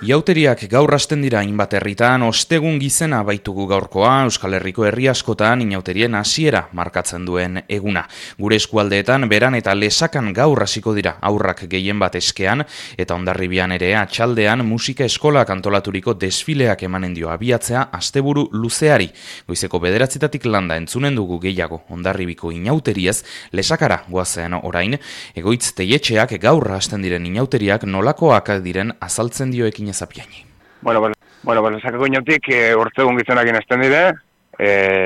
Iauteriak gaur hasten dira hainbat herritan, ostegun gizena baitugu gaurkoa, Euskal Herriko herri askotan inauterien hasiera markatzen duen eguna. Gure eskualdeetan beran eta Lesakan gaur hasiko dira aurrak gehien bat eskean, eta Hondarribian ere atxaldean musika eskolak antolaturiko desfileak emanen dio abiatzea asteburu luzeari. Goizeko 9:00 landa entzunen dugu gehiago Hondarribiko inauteriez, Lesakara goazen orain, Egoitz Teietxeak gaur hasten diren inauteriak nolakoak diren azaltzen dio ekin ezapiaini. Bueno, Lesakako inautik urtegun gizenakin hasten dire,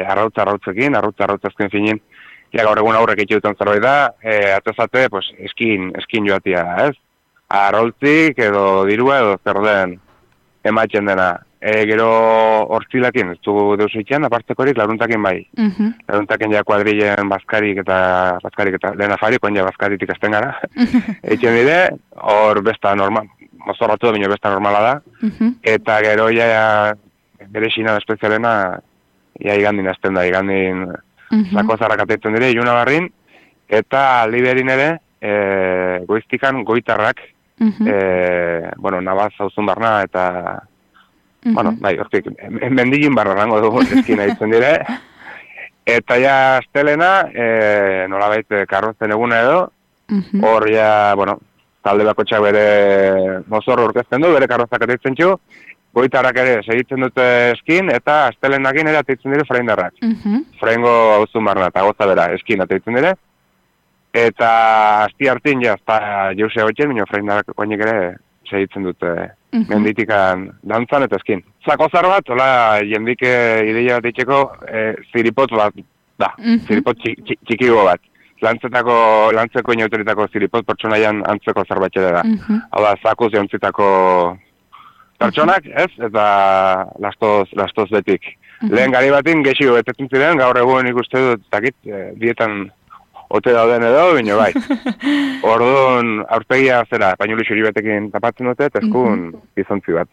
arrautzekin, arrautzazken finin, gaur egun aurrek itxutan zerbait da, atezate, pues, eskin joatia, ez? Arrautzik edo dirua edo zer den ematzen dena. Gero hortzilakin, ez dugu deus egitean, apartzekorik laruntakin bai. Laruntakin ja kuadrilen bazkarik eta lehen afari, koin ja bazkaritik azten gara. Eitzen dire, hor besta normal, mozorratu da bino besta normala da. Eta gero ja bere xina espezialena, ja igandin azten da, igandin zako zarrak atetzen dire, iluna barrin, eta liberin ere, goiztikan goitarrak, nabaz hauzun barna eta bai, hortik, mendilin barra rango dugu eskin aitzen dire. Eta ja astelena, nolabait karrozen eguna edo, hor ja, talde bakotxak bere mozorro orkezten du, bere karrozak ateitzen txu, goitarrak ere segitzen dute eskin, eta astelenakin ere ateitzen dire freindarrak. Freingo hauzun barna eta goza bera eskin ateitzen dire. Eta asti hartin ja, jause hotxen, minio freindarrak koinik ere segitzen dute menditikan dantzan eta eskin. Zakozar bat, hola, jendik ideia bat itxeko, ziripotz bat da, ziripotz txikigo bat. Lantzeko inauteritako ziripotz pertsonaian antzeko zerbatxere da. Hau da, zakuz jontzitako pertsonak, ez? Eta lastoz betik. Lehen gari batin gehiago betetzen ziren, gaur egun ikuste dut, zakit, dietan ote dauden edo, bino bai. Orduan, aurpegia zera, painuli xuri batekin tapatzen dute, eta eskun gizontzi bat.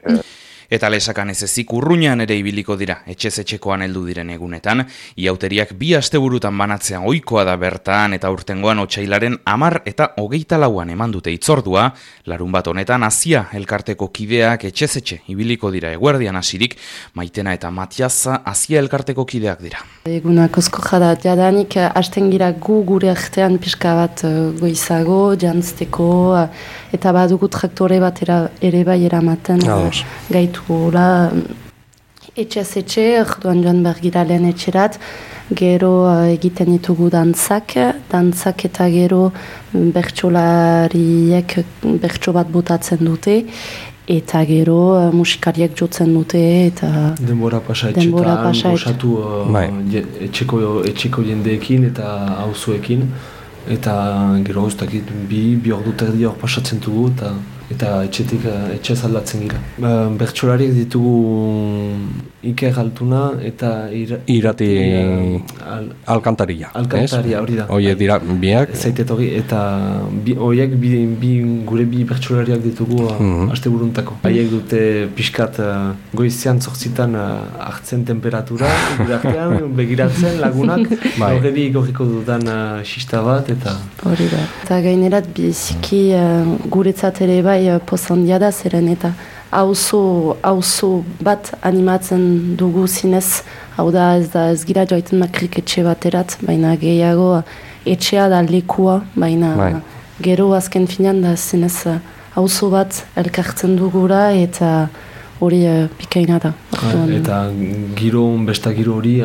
Eta Lesakan ez ezik urruñan ere ibiliko dira, etxez-etxekoan heldu diren egunetan, iauteriak 2 asteburutan banatzean ohikoa da bertan, eta urtengoan otsailaren 10 eta 24 eman dute itzordua, larun bat honetan Azia elkarteko kideak etxez-etxe ibiliko dira eguerdian hasirik, Maitena eta Matias Azia elkarteko kideak dira. Egunak osko jada, jadanik hasten gira gure artean pixka bat goizago, jantzteko, eta badugu traktore bat ere bai eramaten gaitu gula etxez-etxe, orduan joan bergira lehen etxerat, gero egiten ditugu dantzak eta gero bertsolariek bertso bat botatzen dute, eta gero musikariek jotzen dute, eta denbora pasa gozatu etxeko jendeekin eta auzoekin, eta gero guztakit bi ordu terdi hor pasatzen dugu, eta etxez aldatzen gira. Bertsolariek ditugu Iker Altuna eta Irati Alkantaria. Alkantaria, hori da. Horiek dira biak. Zaitet hori, eta horiek gure bi bertsolariak ditugu asteburuntako. Haiek dute pixkat goizean 8:00 hartzen temperatura, gure artean begiratzen lagunak, horredi gorriko dudan xista bat, eta... Hori da. Eta gainerat biziki guretzat ere bai pozandia da zeren, eta auzo bat animatzen dugu zinez, hau da ez gira joaiten makrik etxe baterat, baina gehiago etxea da lekua, baina gero azken finean da zinez auzo bat elkartzen dugura, eta hori bikaina da. Eta besta giro hori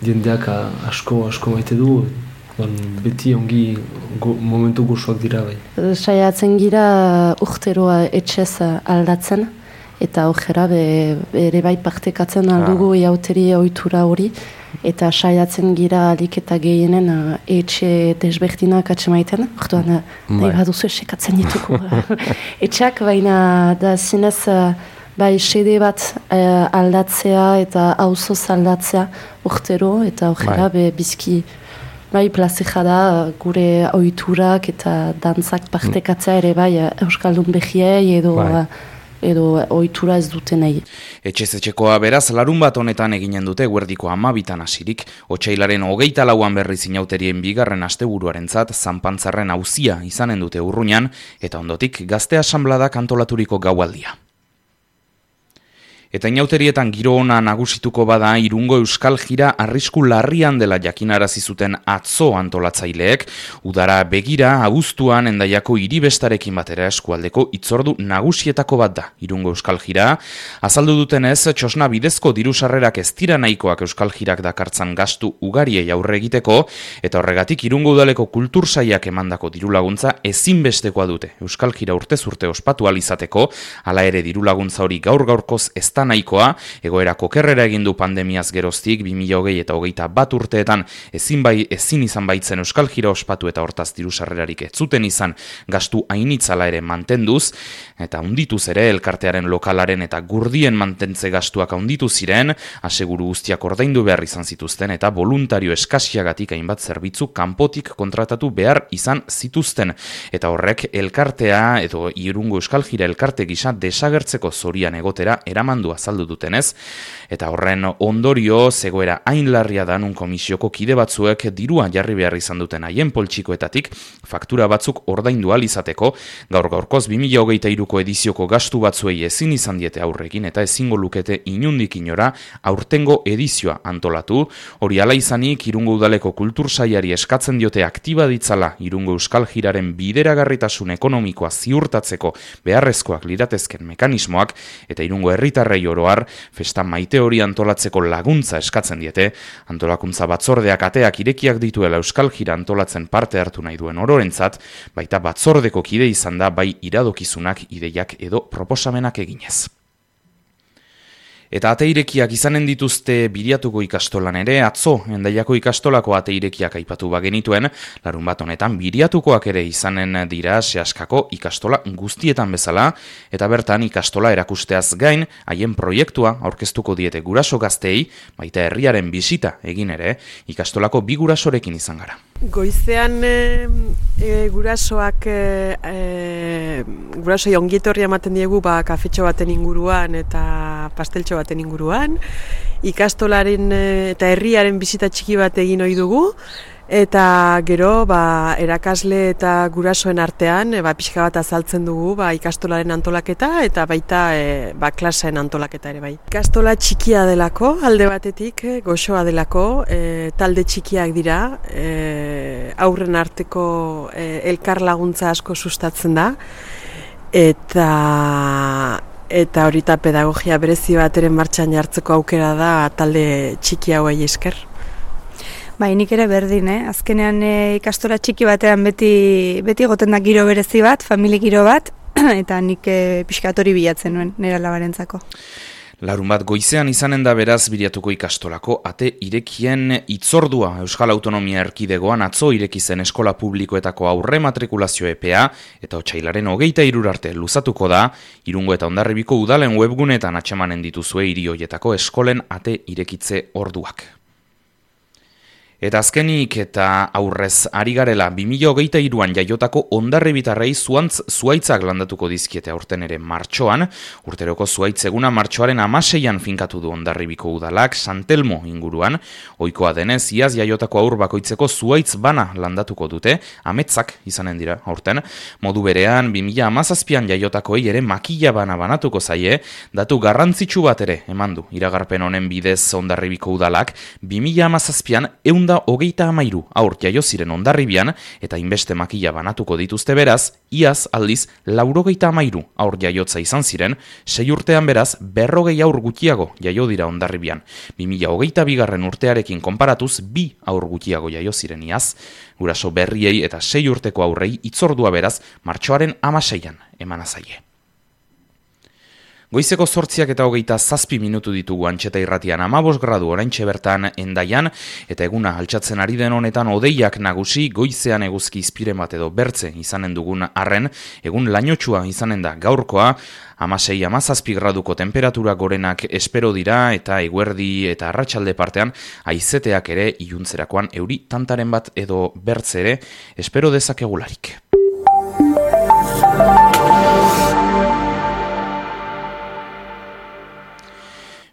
jendeak asko maite du, beti ongi momentu gozoak dira bai. Saiatzen gira urteroa etxez aldatzen, eta horrela ere bai partekatzen aldugu iauteri ohitura hori, eta saiatzen gira alik eta gehienen etxe desberdinak atsemaiten, orduan nahi baduzu esekatzen dituko etxak, baina da zinez bai sede bat aldatzea eta auzoz aldatzea urtero, eta horrela bizki bai, plazera da gure ohiturak eta dantzak partekatzea ere bai Euskaldun behiei edo ohitura ez dutenei. Etxez-etxekoa beraz larun bat honetan eginen dute eguerdiko 12 hasirik, otsailaren 24an berriz inauterien 2. asteburuarentzat Zanpantzarren auzia izanen dute urruñan, eta ondotik Gazte Asanbladak antolaturiko gaualdia. Eta inauterietan giro ona nagusituko bada Irungo Euskal Jira arrisku larrian dela jakinarazi zuten atzo antolatzaileek, udara begira abuztuan Hendaiako hiribestarekin batera eskualdeko hitzordu nagusietako bat da Irungo Euskal Jira. Azaldu dutenez, txosna bidezko diru-sarrerak ez dira nahikoak Euskal Jirak dakartzan gastu ugariei aurre egiteko, eta horregatik Irungo Udaleko kultur sailak emandako dirulaguntza ezinbestekoa dute Euskal Jira urtez urte ospatu ahal izateko, hala ere dirulaguntza hori gaur-gaurkoz ez nahikoa, egoera kokerrera egin du pandemiaz geroztik 2020 eta 2021 urteetan ezin izan baitzen Euskal Jira ospatu eta hortaz diru-sarrerarik ez zuten izan gastu hainitzala ere mantenduz, eta handituz ere elkartearen lokalaren eta gurdien mantentze gastuak handitu ziren, aseguru guztiak ordaindu behar izan zituzten eta voluntario eskasiagatik hainbat zerbitzu kanpotik kontratatu behar izan zituzten, eta horrek elkartea edo Irungo Euskal Jira elkarte gisa desagertzeko zorian egotera eramandu azaldu dutenez, eta horren ondorio zegoera hain larria da nun komisioko kide batzuek dirua jarri behar izan duten haien poltsikoetatik faktura batzuk ordaindu ahal izateko, gaur-gaurkoz 2023ko edizioko gastu batzuei ezin izan diete aurrekin eta ezingo lukete inundik inora aurtengo edizioa antolatu. Hori hala izanik Irungo Udaleko kultur sailari eskatzen diote aktiba ditzala Irungo Euskal Jiraren bideragarritasun ekonomikoa ziurtatzeko beharrezkoak liratezken mekanismoak, eta Irungo herritarrei oroar festa maite hori antolatzeko laguntza eskatzen diete. Antolakuntza batzordeak ateak irekiak dituela Euskal Jira antolatzen parte hartu nahi duen ororentzat, baita batzordeko kide izan da bai iradokizunak, ideiak edo proposamenak eginez. Eta ate irekiak izanen dituzte Biriatuko ikastolan ere, atzo Hendaiako ikastolako ate irekiak aipatu bagenituen, larunbat honetan Biriatukoak ere izanen dira sehaskako ikastola guztietan bezala, eta bertan ikastola erakusteaz gain, haien proiektua aurkeztuko diete guraso gazteei, baita herriaren bisita egin ere, ikastolako bi gurasorekin izan gara. Goizean gurasoak gurasoi ongietorria ematen diegu kafetxo baten inguruan eta pasteltxo baten inguruan. Ikastolaren eta herriaren bisita txiki bat egin ohi dugu, eta gero erakasle eta gurasoen artean pixka bat azaltzen dugu ikastolaren antolaketa eta baita klaseen antolaketa ere bai. Ikastola txikia delako, alde batetik, goxoa delako, talde txikiak dira, aurren arteko elkar laguntza asko sustatzen da, eta horita pedagogia berezi bat ere martxan jartzeko aukera da talde txiki hauei esker. Nik ere berdin, azkenean ikastola txiki batean beti goten da giro berezi bat, famili giro bat, eta nik pixkatori bilatzen nuen nire alabarentzako. Larunbat goizean izanen da beraz Biriatuko ikastolako ate irekien hitzordua. Euskal Autonomia Erkidegoan atzo ireki zen eskola publikoetako aurre matrikulazio epea, eta otsailaren 23 arte luzatuko da. Irungo eta Hondarribiko udalen webgunetan atzemanen dituzue hiri hoietako eskolen ate irekitze orduak. Eta azkenik eta aurrez ari garela 2023an jaiotako hondarribitarrei zuhaitzak landatuko dizkiete aurten ere martxoan. Urteroko zuhaitz eguna martxoaren 16an finkatu du Hondarribiko udalak San Telmo inguruan. Ohikoa denez, iaz jaiotako aur bakoitzeko zuhaitz bana landatuko dute, ametzak izanen dira aurten. Modu berean 2017an jaiotakoei ere makila bana banatuko zaie, datu garrantzitsu bat ere eman du iragarpen honen bidez Hondarribiko udalak. 2017an 133 aur jaio ziren Hondarribian eta inbeste makila banatuko dituzte beraz, iaz aldiz 93 aur jaiotza izan ziren, 6 urtean beraz 40 aur gutxiago jaio dira Hondarribian. 2022 urtearekin konparatuz 2 aur gutxiago jaio ziren iaz. Guraso berriei eta 6 urteko aurrei hitzordua beraz martxoaren 16an emana zaie. Goizeko 8:27 minutu ditugu Antxeta irratian, 15 gradu oraintxe bertan Hendaian, eta eguna altxatzen ari den honetan hodeiak nagusi, goizean eguzki izpiren bat edo bertze izanen dugun arren, egun lainotsua izanen da gaurkoa, 16-17 graduko temperatura gorenak espero dira, eta eguerdi eta arratsalde partean haizeteak ere iluntzerakoan euri tantaren bat edo bertze ere espero dezakegularik.